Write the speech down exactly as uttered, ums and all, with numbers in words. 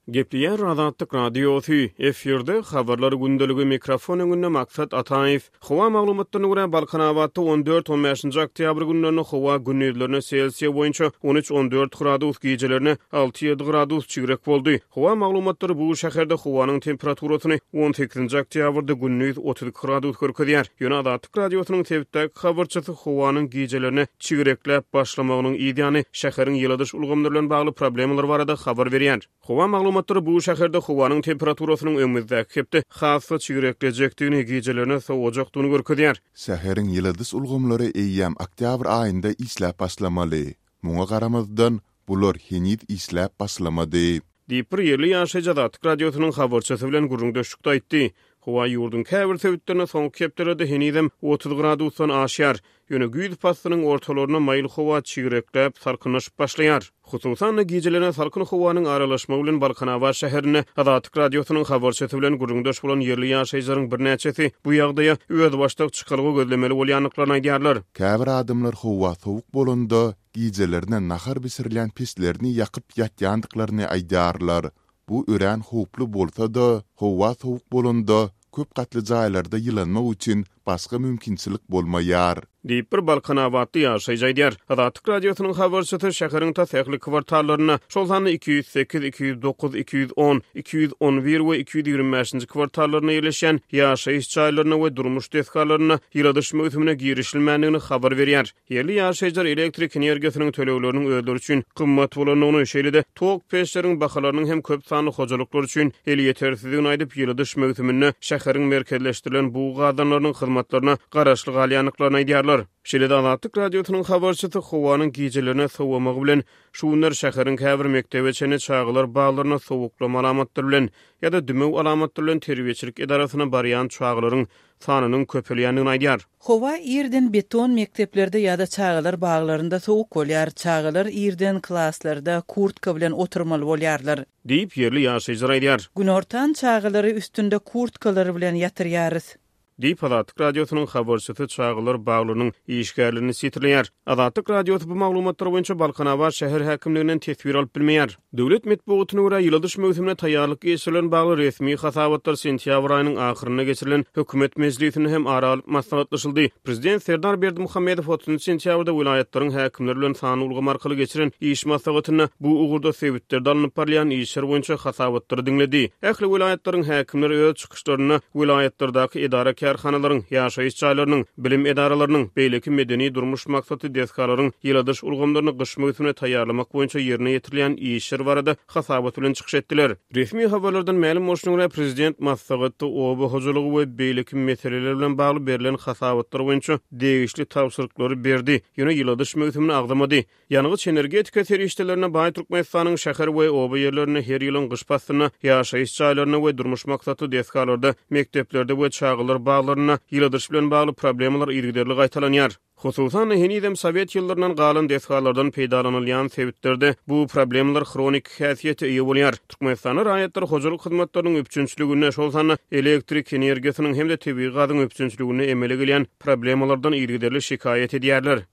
Gepleýär Azatlyk Radiosy, efirde Habarlar gündeligi, mikrofon öňünde Maksat Ataýew. Howa maglumatlaryna görä, Balkanabatda on dört-on bäşinji oktýabr günlerinde howa gündizlerine Selsiýa boýunça on üç-on dört gradus, gijelerine alty-ýedi gradus çigrek boldy. Howa maglumatlary bu şäherde howanyň temperaturasyny on sekizinji oktýabrda gündiz otuz iki gradus görkezýär. Ýöne Azatlyk Radiosynyň sebitdäki habarçysy howanyň gijelerine çigrekläp başlamagynyň yzýany şäheriň ýyladyş ulgamlary bilen bagly problemalar barada habar berýär. Howa maglumatlary bu şäherde howanyň temperaturasynyň öňümizdäki hepde has-da çigreklejekdigini, gijelerine sowajakdygyny görkezýär. Şäheriň ýyladyş ulgamlary eýýäm oktýabr aýynda işläp başlamaly. Muňa garamazdan, bular heniz işläp başlamady. Diýip, bir ýerli ýaşaýjy Azatlyk Radiosynyň habarçysy bilen gürrüňdeşlikde aýtdy. Howa ýurduň käbir sebitlerinde soňky hepdelerde henizem otuz gradusdan aşýar. Ýöne güýz paslynyň ortalarynda maýyl howa çigrekläp, salkynlaşyp başlaýar. Hususan-da, gijelerine salkyn howanyň aralaşmagy bilen Balkanabat şäherinde Azatlyk Radiosynyň habarçysy bilen gürrüňdeş bolan ýerli ýaşaýjylaryň birnäçesi bu ýagdaýa özbaşdak çykalga gözlemeli bolýandyklaryny aýdýarlar. Käbir adamlar howa sowuk bolanda, gijelerine nahar bişirilýän peçlerini ýakyp ýatýandyklaryny aýdýarlar. Bu örän howply bolsa-da, howa sowuk bolanda, köp gatly jaýlarda ýylanmak üçin başga mümkinçilik bolmaýar. Diýip, bir balkanabatly ýaşaýjy aýdýar. Azatlyk Radiosynyň habarçysy şäheriň tas ähli kwartallarynda, şol sanda iki ýüz sekiz, iki ýüz dokuz, iki ýüz on, iki ýüz on bir we iki ýüz ýigrimi bäşinji kwartallarynda ýerleşýän ýaşaýyş jaýlarynda we durmuş desgalarynda ýyladyş möwsümine girişilmändigini habar berýär. Ýerli ýaşaýjylar elektrik energiýasynyň tölegleriniň özleri üçin gymmat bolandygyny, şeýle-de tok peçleriň bahalarynyň hem köp sanly hojalyklar üçin elýetersizdigini aýdyp, ýyladyş möwsüminde şäheriň merkezleşdirilen bug gazanlarynyň hyzmatlaryna garaşly galýandyklaryny aýdýarlar. Şeýle-de Azatlyk Radiosynyň habarçysy howanyň gijelerine sowamagy bilen şu günler şäheriň käbir mekdebe çenli çagalar baglaryna sowuklama alamatlary bilen ýa-da dümew alamatlary bilen terbiýeçilik edarasyna barýan çagalaryň sanynyň köpelýändigini aýdýar. Howa irden beton mekdeplerde ýa-da çagalar baglarynda sowuk bolýar. Çagalar irden klaslarda kurtka bilen oturmaly bolýarlar. Diýip, ýerli ýaşaýjylar aýdýar. Günortan çagalary üstünde kurtkalary bilen ýatyrýarys. Diýip, Azatlyk Radiosynyň habarçysy çagalar baglarynyň işgärlerini sitirleýär. Azatlyk Radiosy bu maglumatlar boýunça Balkanabat şäher häkimliginden teswir alyp bilmeýär. Döwlet metbugatyna görä, ýyladyş möwsümine taýýarlyk geçirilen bagly resmi hasabatlar sentýabr aýynyň ahyrynda geçirilen hökümet mejlisinde hem ara alyp maslahatlaşyldy. Prezident Serdar Berdimuhamedow otuzynjy sentýabrda welaýatlaryň häkimleri bilen sanly ulgam arkaly geçiren iş maslahatynda bu ugurda sebitlerde alnyp barylýan işler boýunça hasabatlary diňledi. Ähli welaýatlaryň häkimleri öz çykyşlarynda welaýatlardaky edara-kärhanalaryň, ýaşaýyş jaýlarynyň, bilim edaralarynyň, beýleki medeni-durmuş maksatly desgalaryň ýyladyş ulgamlaryny gyş möwsümine taýýarlamak boýunça ýerine ýetirilýän işler barada hasabat bilen çykyş etdiler. Resmi habarlardan mälim bolşuna görä, prezident maslahatda oba hojalygy we beýleki meseleler bilen bagly berlen hasabatlar boýunça degişli tabşyryklary berdi, ýöne ýyladyş möwsümini agzamady. Ýangyç-energetika serişdelerine baý Türkmenistanyň şäher we oba ýerlerinde her ýylyň gyş paslynda ýaşaýyş jaýlarynda we durmuş maksatly desgalarda, mekdeplerde we çagalar baglarynda ýyladyş bilen bagly problemalar yzygiderli gaýtalanýar. Hususan-da, henizem sowet ýyllaryndan galan desgalardan peýdalanylýan sebitlerde bu problemalar hroniki häsiýete eýe bolýar. Türkmenistanda raýatlar hojalyk hyzmatlarynyň üpjünçiliginde, şol sanda elektrik energiýasynyň hem-de tebigy gazyň üpjünçiliginde emele gelýän problemalardan yzygiderli şikaýat edýärler.